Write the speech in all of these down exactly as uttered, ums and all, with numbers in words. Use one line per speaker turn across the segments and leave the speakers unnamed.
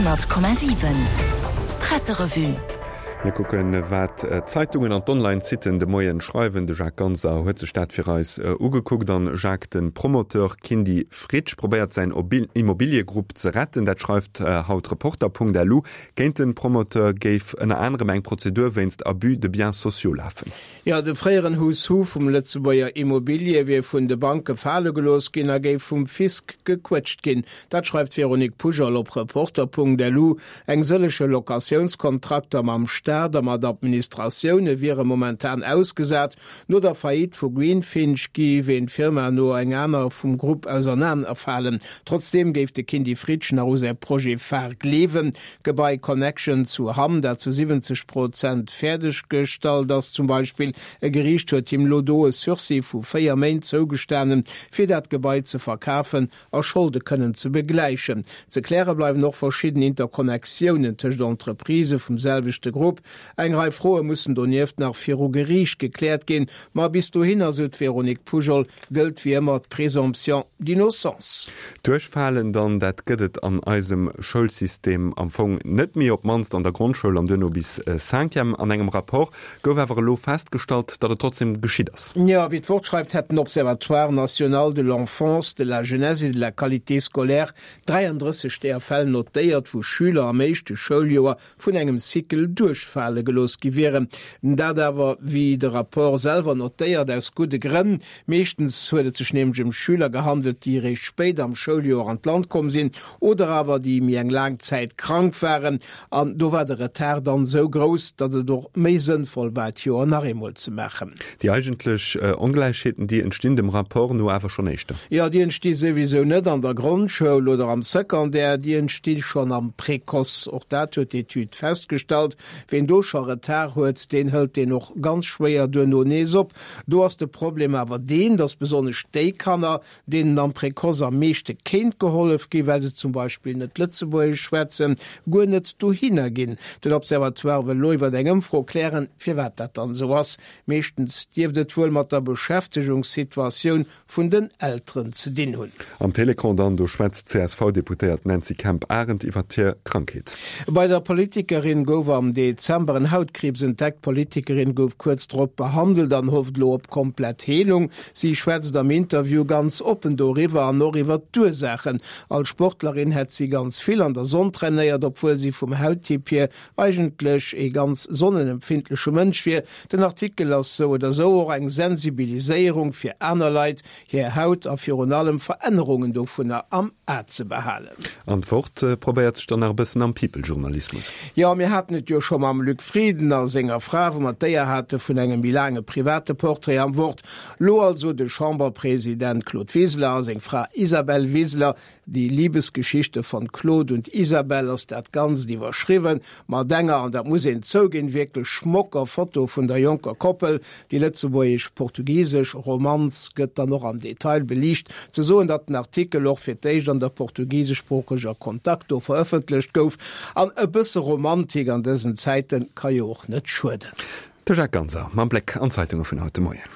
Honnert Komma siwen Presserevue.
Mir kucken, wat d'Zeitungen an d'Online-Sitten de Moien schreiwen. De Jacques Ganser huet sech dat fir eis ugekuckt. An Jacques, de Promoteur Kindy Fritsch probéiert säin Immobiliëgrupp ze retten. Dat schreift haut Reporter.lu. Géint de Promoteur géif ënner anerem eng Prozedur wéinst Abus de biens sociaux lafen.
Jo, de fréieren Who's Who vum Lëtzebuerger Immobilier wier vun de Banke fale gelooss ginn a géif vum Fisc gequëtscht ginn. Dat schreift d'Véronique Poujol op Reporter.lu. Eng sëllege Locatiounskontrakter mam Staat a mat Administratioune wiere momentan ausgesat. No der Faillite vu Greenfinch géif een Firma no eng aner vum Grupp ausernanerfalen. Trotzdeem géif de Kindy Fritsch nach u säi Projet Phare gleewen. D'Gebai Connection zu Hamm, dat zu siwwenzeg Prozent fäerdeg gestallt ass zum Beispill. E Geriicht huet him lo do e Sursis vu véier Méint zougestanen, fir dat Gebai ze verkafen a Scholde kënnen ze begläichen. Ze kläre bleiwen och verschidden Interconnectiounen tëscht Entreprisë vum selwechte Grupp. Eng Rei Froe mussen donieft nach viru Geriicht gekläert ginn. Ma bis dohinner, sou d'Véronique Poujol, gëllt wéi ëmmer d'Présomption d'innocence.
Duerchfalen dann, dat gëtt et an eisem Schoulsystem am Fong net méi, op d'mannst an der Grondschoul an duerno bis Cinquième. An engem Rapport gouf awer elo festgestallt, datt et trotzdeem geschitt ass.
Jo, wéi d'Wort schreift, hätt den Observatoire national de l'enfance, de la jeunesse et de la qualité scolaire dräiandrësseg där Fäll notéiert, wou Schüler am éischte Schouljoer vun engem Cycle duerchfale gelooss gi wieren. Dat awer, wéi de Rapport selwer notéiert, aus gudde Grënn. Meeschtens huet et sech nämlech ëm Schüler gehandelt, déi eréischt spéit am Schouljoer an d'Land komm sinn oder awer déi méi eng laang Zäit krank waren. An do war de Retard dann esou grouss, datt et och méi sënnvoll war, d'Joer nach eemol ze maachen.
Déi eigentlech Ongläichheeten, déi entstinn dem Rapport no awer schonn éischter.
Jo, déi entsti souwisou net an der Grondschoul oder am Secondaire, déi entsti schonn am Précoce. Och dat huet d'Etüd festgestallt. Ween do scho Retard huet, deen hëlt deen och ganz schwéier duerno nees op. Do ass de Problem awer deen, datt besonnesch déi Kanner, deenen am Précoce am meeschte kéint gehollef ginn, well se zum Beispill net Lëtzebuergesch schwätzen, guer net dohinner ginn. Den Observatoire wëll elo iwwer eng Ëmfro klären, firwat dat dann esou ass. Meeschtens dierft et wuel mat der Beschäftegungssituatioun vun den Elteren ze dinn hunn.
Am Télécran dann, do schwätzt d'CSV-Deputéiert Nancy Kemp-Arendt iwwer hir Krankheet.
Bei der Politikerin gouf am Dezember en Hautkriibs entdeckt. D'Politikerin gouf kuerz drop behandelt an hofft elo op komplett Heelung. Si schwätzt am Interview ganz oppen doriwwer an och iwwer d'Ursaachen. Als Sportlerin hätt si ganz vill an der Sonn trainéiert, obwuel si vum Hauttyp hier eigentlech ee ganz sonnenempfindleche Mënsch wier. Den Artikel ass sou oder sou och eng Sensibiliséierung fir aner Leit, hir Haut a virun allem Verännerungen dovunner am A ze behalen.
An d'Wort probéiert sech dann nach e bëssen am People-Journalismus.
Jo, mir haten et jo scho mam Luc Frieden a senger Fra, wou mer d'Éier hate vun engem méi laange private Portrait am Wort. Lo also de Chamberpresident Claude Wiseler a seng Fra Isabel Wiseler. Die Liebesgeschichte von Claude und Isabel ass dat Ganzt iwwerschriwwen, mat enger, an dat muss een zouginn, wierklech schmocker Foto vun der jonker Koppel. Déi lëtzebuergesch-portugisesch Romanz gëtt dann och am Detail beliicht. Ze soen, datt den Artikel och fir d'éischt an der portugiseschsproocheger Contacto verëffentlecht gouf. An e bësse Romantik an dësen Zäite ka jo och net schueden.
De Jacques Ganser mam Bléck an d'Zeitunge vun haut de Moien.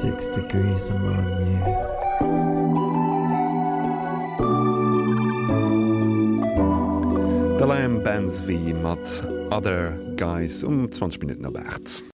Six degrees I'm on you.
De Liam Ben Zvi mat Other Guys um zwanzeg Minutten op aacht.